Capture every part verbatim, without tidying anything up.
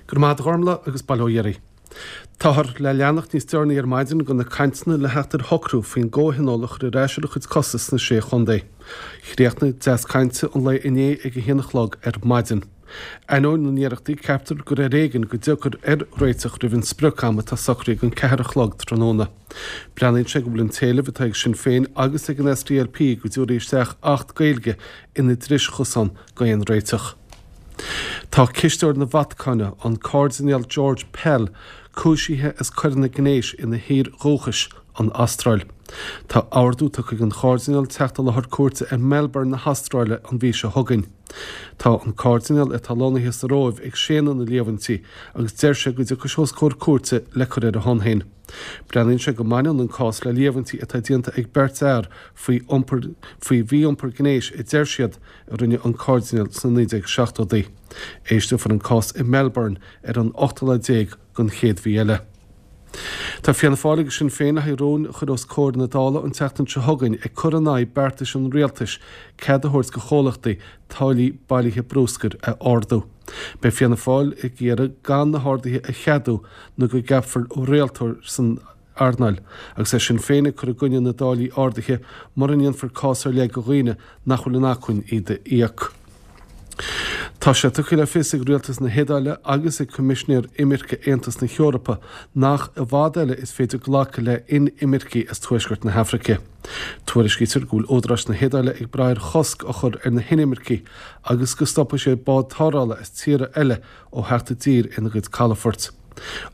Go raibh maith agat a Ghormlaith agus bail ó Dhia oraibh. Táthar le leanacht níos deireanaí ar maidin de na cainteanna le theacht ar shocrú faoin gcomhthionól a chur ar ais ar a chuid cosa sna Sé Chontae. Chríochnaigh deasc cainte an lae inné ag a haon a chlog ar maidin. Ainneoin na n-iarrachtaí, ceaptar gur ar éigean go dtiocfar ar réiteach roimh an sprioc-am atá socraithe don ceathair a chlog tráthnóna. Breathnaíonn sé go bhfuil an t-éileamh atá ag Sinn Féin agus ag an SDLP go dtabharfaí isteach Acht Gaeilge ina dris-chosán d'aon réiteach. Tá cisteoir na Vatacáine, an Cairdinéal George Pell, cúisithe as coireanna gnéis ina thír dhúchais, an Astráil. Tá ordú tugtha don Chairdinéal teacht i láthair cúirte i Melbourne na hAstráile an mhí seo chugainn. Tá an Cairdinéal, atá lonnaithe sa Róimh, ag séanadh na líomhaintí agus deir sé go dtiocfaidh sé os comhair cúirte le cur ar a shon féin. Breathnaíonn sé go mbaineann an cás le líomhaintí atá déanta ag beirt fhear faoi iompar faoi mhí-iompar gnéis a deir siad a rinne an Cairdinéal sna naoi déag seachtóidí. Éisteofar an cás i Melbourne ar an ochtú lá déag den chéad mhí eile. Tá Fianna Fáil agus Sinn Féin le haghaidh rún a chur os comhair na Dála an tseachtain seo chugainn ag cur in aghaidh beartais an rialtais cead a thabhairt do chomhlachtaí táillí bailithe brúscair a ardú. Beidh Fianna Fáil ag iarraidh gan na harduithe a cheadú nó go gceapfar rialtóir san earnáil, agus é Sinn Féin ag cur i gcoinne na dtáillí ardaithe mura ndéanfar cás ar leith do dhaoine nach bhfuil in acmhainn iad a íoc. Tá sé tugtha le fios ag rialtas na hIodáile agus ag Coimisinéir Imirce Aontas na hEorpa nach i bhfad eile is féidir glacadh le hinimircigh as tuaisceart na hAfraice. Tuairiscítear go bhfuil údaráis na hIodáile ag brath ar chosc a chur ar na hinimircigh agus go stopfaidh siad báid tarrthála as tíortha eile ó theacht i dtír ina gcuid calafort.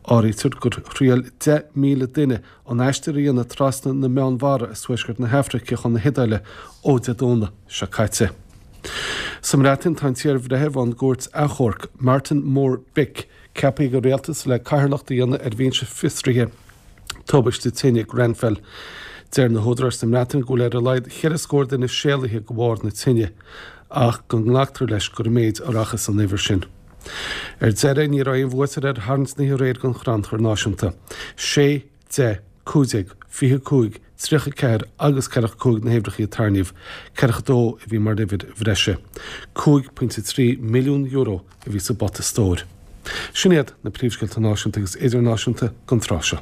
Áirítear gur thriail deich míle duine an aistear a dhéanamh trasna na Meánmhara as tuaisceart na hAfraice chun na hIodáile ó Dé Domhnaigh seo caite. Sa mBreatain, tá an t-iarbhreitheamh ón gCúirt Achomhairc, Martin Moore-Bick, ceaptha ag an rialtas le cathaoirleacht a dhéanamh ar bhinse fiosraithe tubaiste tine Grenfell. Deir na húdaráis sa mBreatain go bhfuil ar a laghad cheithre scór duine séalaithe de bharr na tine, ach go nglactar leis gur i méid a rachas an uimhir sin. Ar deireadh, ní raibh aon bhuaiteoir ar tharraingt na hoíche aréir don Chrannchur Náisiúnta. Sé, deich, cúig déag, fiche cúig, tríocha ceathair agus ceathracha cúig na huimhreacha a tarraingíodh, ceathracha dó a bhí mar uimhir bhreise. Cúig pointe trí milliún euro a bhí sa bpota stóir. Sin iad na príomhscéalta náisiúnta agus idirnáisiúnta don tráth seo.